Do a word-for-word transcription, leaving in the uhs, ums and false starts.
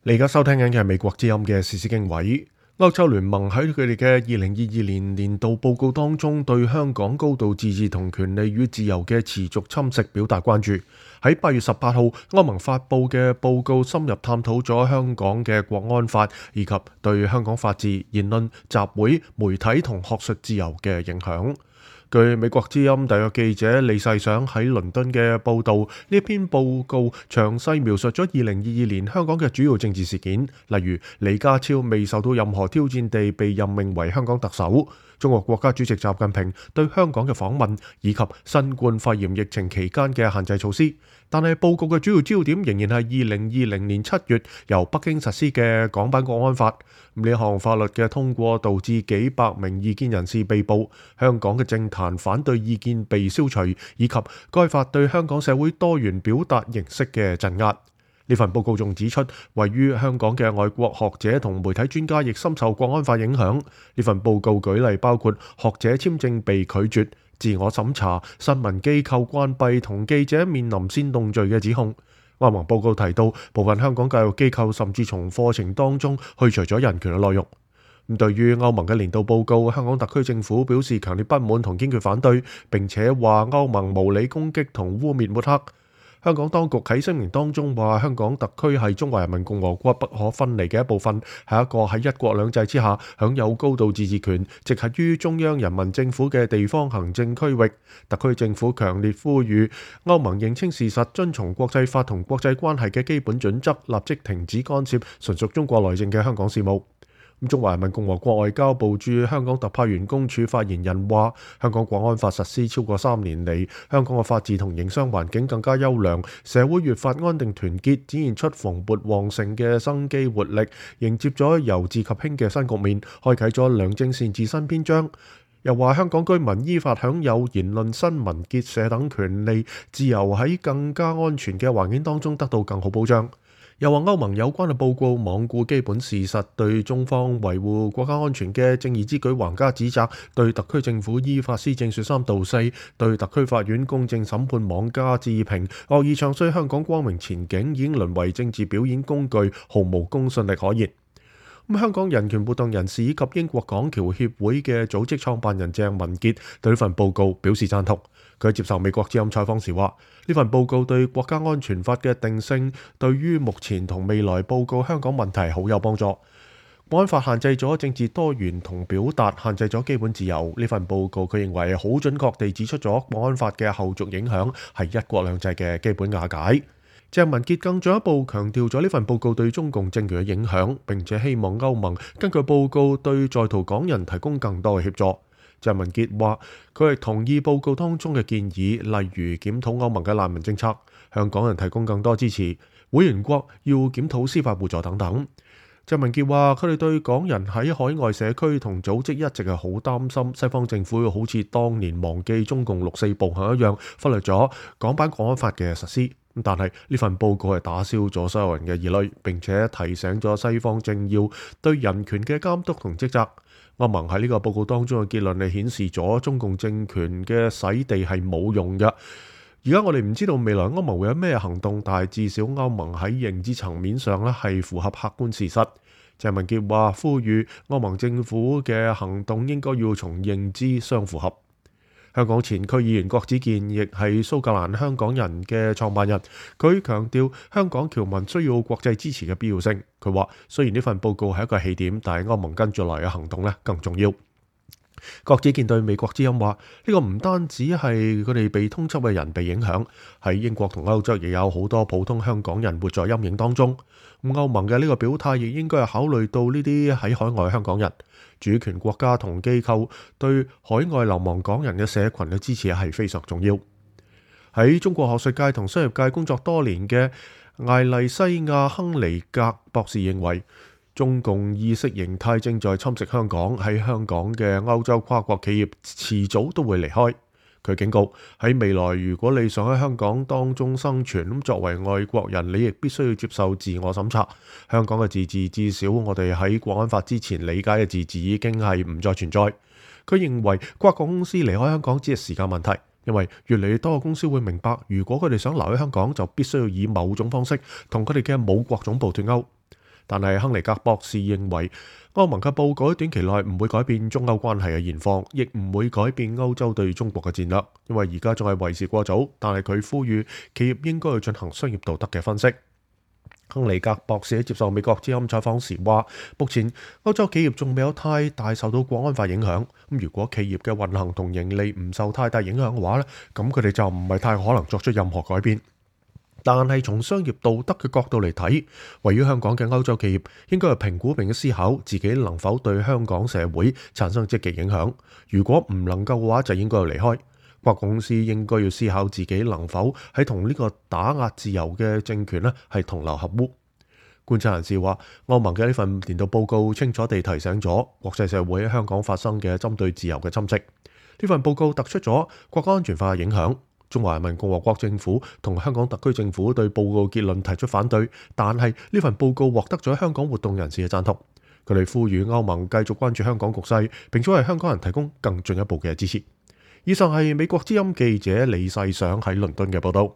你而家收聽緊嘅係美國之音嘅時事經緯。歐洲聯盟喺佢哋嘅二零二二年年度報告當中，對香港高度自治同權利與自由嘅持續侵蝕表達關注。喺八月十八號，歐盟發布嘅報告深入探討咗香港嘅國安法以及對香港法治、言論、集會、媒體同學術自由嘅影響。據美國之音特約記者李世想喺倫敦嘅報導，呢篇報告詳細描述咗二零二二年香港嘅主要政治事件，例如李家超未受到任何挑戰地被任命為香港特首，中國國家主席習近平對香港嘅訪問，以及新冠肺炎疫情期間嘅限制措施。但係報告嘅主要焦點仍然係二零二零年七月由北京實施嘅港版國安法。呢項法律嘅通過導致幾百名異見人士被捕，香港嘅政壇反對意見被消除，以及該法對香港社會多元表達形式嘅鎮壓。呢份報告仲指出，位於香港嘅外國學者同媒體專家亦深受國安法影響。呢份報告舉例包括學者簽證被拒絕、自我審查、新聞機構關閉同記者面臨煽動罪嘅指控。歐盟報告提到，部分香港教育機構甚至從課程當中去除咗人權嘅內容。咁對於歐盟嘅年度報告，香港特區政府表示強烈不滿同堅決反對，並且話歐盟無理攻擊同污蔑抹黑。香港當局喺聲明當中話，香港特區係中華人民共和國不可分離嘅一部分，係一個喺一國兩制之下享有高度自治權、直轄於中央人民政府嘅地方行政區域。特區政府強烈呼籲歐盟認清事實，遵從國際法同國際關係嘅基本準則，立即停止干涉純屬中國內政嘅香港事務。中華人民共和國外交部駐香港特派員公署發言人話，香港國安法實施超過三年嚟，香港嘅法治同營商環境更加優良，社會越發安定團結，展現出蓬勃旺盛嘅生機活力，迎接咗由治及興嘅新局面，開啟咗良政善治新篇章。又話香港居民依法享有言論、新聞、結社等權利，自由喺更加安全嘅環境當中得到更好保障。又話歐盟有關嘅報告罔顧基本事實，對中方維護國家安全嘅正義之舉橫加指責，對特區政府依法施政說三道四，對特區法院公正審判妄加置評，惡意唱衰香港光明前景，已經淪為政治表演工具，毫無公信力可言。咁香港人權活動人士以及英國港僑協會嘅組織創辦人鄭文傑對呢份報告表示贊同。佢接受美國之音採訪時話，呢份報告對國家安全法嘅定性，對於目前同未來報告香港問題好有幫助。國安法限制咗政治多元同表達，限制咗基本自由。呢份報告佢認為好準確地指出咗國安法嘅後續影響係一國兩制嘅基本瓦解。鄭文傑更進一步強調咗呢份報告對中共政權嘅影響，並且希望歐盟根據報告對在逃港人提供更多嘅協助。鄭文傑話，佢係同意報告當中嘅建議，例如檢討歐盟嘅難民政策，向港人提供更多支持，會員國要檢討司法互助等等。鄭文傑話，佢哋對港人喺海外社區同組織一直係好擔心，西方政府會好似當年忘記中共六四暴行一樣，忽略咗港版國安法嘅實施。但係呢份報告係打消咗所有人嘅疑慮，並且提醒咗西方政要對人權嘅監督同職責。歐盟喺呢個報告當中嘅結論係顯示咗中共政權嘅洗地係冇用嘅。而家我哋唔知道未來歐盟會有咩行動，但係至少歐盟喺認知層面上咧係符合客觀事實。鄭文傑話，呼籲歐盟政府嘅行動應該要從認知相符合。香港前區議員郭子健亦係蘇格蘭香港人嘅創辦人，佢強調香港僑民需要國際支持嘅必要性。佢話，雖然呢份報告係一個起點，但係歐盟跟住來嘅行動咧更重要。郭子健對美國之音話，呢個唔單止係佢哋被通緝嘅人被影響，喺英國同歐洲亦有好多普通香港人活在陰影當中。咁歐盟嘅呢個表態亦應該係考慮到呢啲喺海外香港人、主權國家同機構對海外流亡港人嘅社群嘅支持係非常重要。喺中國學術界同商業界工作多年嘅艾麗西亞亨尼格博士認為，中共意識形態正在侵蝕香港，喺香港嘅歐洲跨國企業遲早都會離開。佢警告，喺未來如果你想喺香港當中生存，咁作為外國人，你亦必須要接受自我審查。香港嘅自治，至少我哋喺國安法之前理解嘅自治已經係唔再存在。佢認為跨國公司離開香港只係時間問題，因為越嚟越多嘅公司會明白，如果佢哋想留喺香港，就必須要以某種方式同佢哋嘅母國總部脫鈎。但係亨尼格博士認為，歐盟嘅報告短期內唔會改變中歐關係嘅現況，亦唔會改變歐洲對中國嘅戰略，因為而家仲係為時過早。但係佢呼籲企業應該去進行商業道德嘅分析。亨尼格博士喺接受美國之音採訪時話，目前歐洲企業仲未有太大受到國安法影響。咁如果企業嘅運行同盈利唔受太大影響嘅話咧，咁佢哋就唔係太可能作出任何改變。但係從商業道德嘅角度嚟睇，位於香港嘅歐洲企業應該係評估並思考自己能否對香港社會產生積極影響。如果唔能夠嘅話，就應該要離開。跨國公司應該要思考自己能否喺同呢個打壓自由嘅政權咧係同流合污。觀察人士話，歐盟嘅呢份年度報告清楚地提醒咗國際社會喺香港發生嘅針對自由嘅侵蝕。呢份報告突出咗國家安全法嘅影響。中華人民共和國政府同香港特區政府對報告結論提出反對，但係呢份報告獲得咗香港活動人士嘅贊同。佢哋呼籲歐盟繼續關注香港局勢，並且為香港人提供更進一步嘅支持。以上係美國之音記者李世想喺倫敦嘅報道。